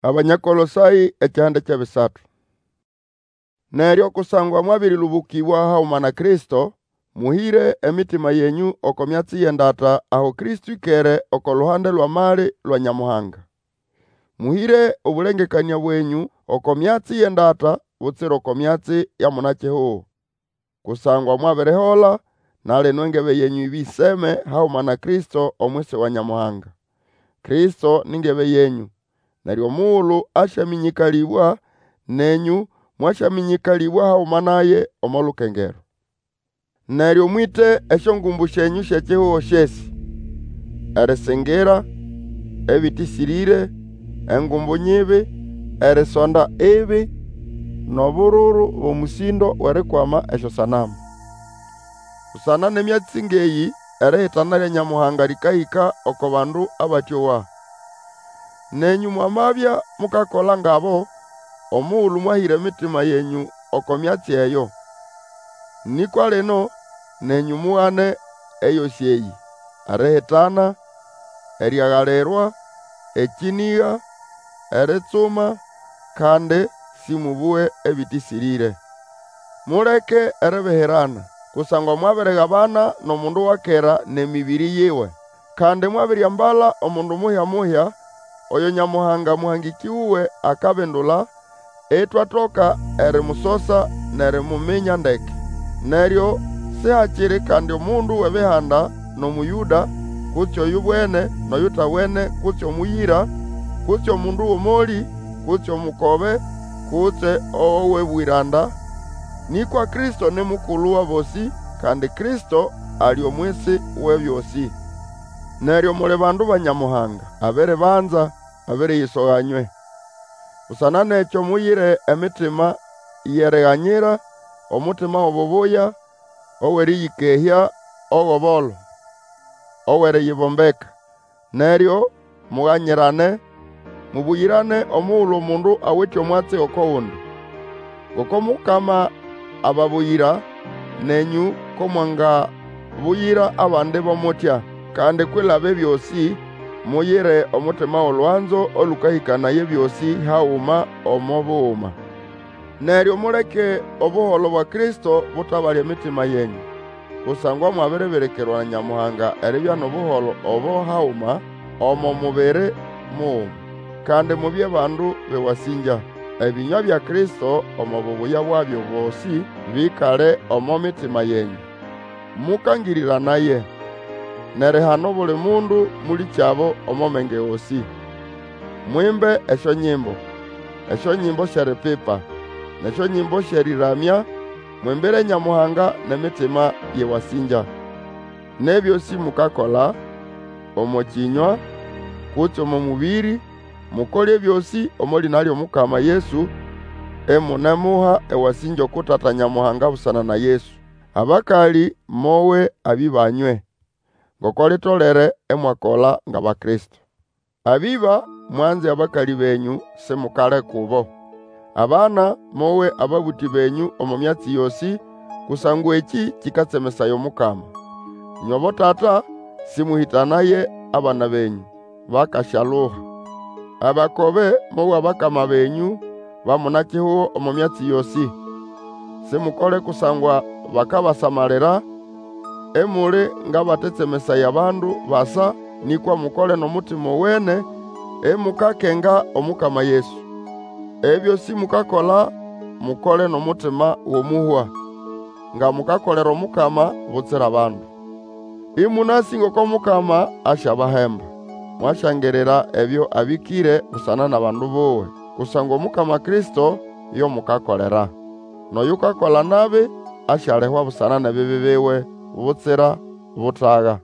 Abanya Kolosayĩ ekihande ky'ebisatu. Neryo kusangwa mwabĩrĩlũbũkĩbwa haguma na Kristo, mũhĩre emitima yenyũ oko myatsi y'endata aho Kristo ĩkere oko luhande lw'amali lwa Nyamuhanga. Mũhĩre obũlengekanĩa bwenyũ oko myatsi y'endata, butsira oko myatsi ya muna-kihugo. Kusangwa mwabirihola, na lino engebe yenyũ ĩbĩseme haguma na Kristo omwisi wa Nyamuhanga. Kristo ni ngebe yenyũ, neryo omugulu asyamĩnyĩkalĩbwa, nenyũ mwasyamĩnyĩkalĩbwa haguma naye omo lukengero. Neryo mwĩte esyongumbu syenyũ sy'ekihugo syesĩ: erisingira, ebĩtĩsĩrĩre, engumbu nyibi, erisonda ibi, n'obururu b'omũsĩndo w'erikwama esyosanamu. Busana n'emyatsi ng'eyĩ erihitana lya Nyamuhanga lĩkahĩka oko bandu abatĩowa. Nenyũ mwamabya mukakola ngabo, omugulu mwahĩra emitima yenyũ oko myatsi eyo. Nĩkwa lino, nenyũ mugane eyosĩ eyĩ: erihitana, eriagalirwa, ekĩnĩga, eritsuma, kandi sĩmũbũge ebĩtĩsĩrĩre. Muleke eribihirana, kusangwa mwabirigabana n'omundu wa kera n'emĩbĩrĩ yiwe. Kandi mwabiriambala omundu muhya-muhya, oyo Nyamuhanga mũhangĩkĩ wuwe akabindula, itwatoka erimusosa n'erimuminya ndeke. Neryo sihakiri kandi omundu w'Ebihanda n'Omũyũda, kutse oyubwene n'oyutabwene, kutse omũyĩra, kutse omundu w'omolĩ, kutse omukobe, kutse ow'ebwĩranda, nĩkwa Kristo ni mukulu w'abosĩ, kandi Kristo ali omwisi w'ebyosĩ. Neryo muli bandu ba Nyamuhanga, abiribanza, abiriyisoga nywe. Busana n'ekyo muyire emitima y'eriganyira, omutima w'obubuya, ow'erĩyĩkehya, og'obolo, ow'eriyibombeka. Neryo muganyirane, mũbũyĩrane omugulu omundu awite omwatsi oko gundi. Ngoko Mukama ababuyira, nenyũ ko mwangabuyira abandi bo mutya. Kandi kwilaba ebyosĩ, muyire omutima w'olwanzo olũkahĩkanaya ebyosĩ haguma omo buguma. Neryo muleke obuholo bwa Kristo butabale emitima yenyũ, kusangwa mwabiribirikirwa na Nyamuhanga eribya n'obuholo obo haguma omo mubiri muguma. Kandi mubye bandu b'ewasĩngya. Ebĩnywa bya Kristo omo bubuya bwabyo bosĩ bĩkale omo mitima yenyũ. Mũkangĩrĩranaye, n'erihana obuli mundu mũlĩkyabo omo menge gosĩ. Mwimbe esyonyimbo, esyonyimbo sy'eripipa, n'esyonyimbo sy'erĩramya, mwimbire Nyamuhanga n'emitima y'ewasĩngya. N'ebyosĩ mukakola, omo kĩnywa, kutse omo mũbĩrĩ, mukole ebyosĩ omo lĩna ly'Omukama Yesu, imunemuha ewasĩngya uku Tata Nyamuhanga busana na Yesu. Abakalĩ, mowe abĩbanywe, ngoko litolere imwakola ng'Abakristo. Abĩba, mwanze abakalĩ benyũ, simukale kubo. Abana, mowe ababũtĩ benyũ omo myatsi yosĩ, kusangwa ekĩ kĩkatsemesaya Omukama. Ĩnywe abotata, sĩmũhĩtanaye abana benyũ, bakasyaluha. Abakobe, mowe abakama benyũ ba muna-kihugo omo myatsi yosĩ. Simukole kusangwa bakabasamalira, imuli ng'abatetsemesaya abandu basa, nĩkwa mukole n'omutima owene, imukakenga Omukama Yesu. Ebyosĩ mukakola, mukole n'omutima w'omũhwa, nga mukakolera Omukama, butsira bandu. Ĩmũnasĩ ngoko Mukama asyabahemba. Mwasyangirira ebyo abĩkĩre busana n'abandu buwe, kusangwa Omukama Kristo yo mukakolera. N'oyukakola nabi asyalihwa busana n'ebibi biwe, butsira butaga.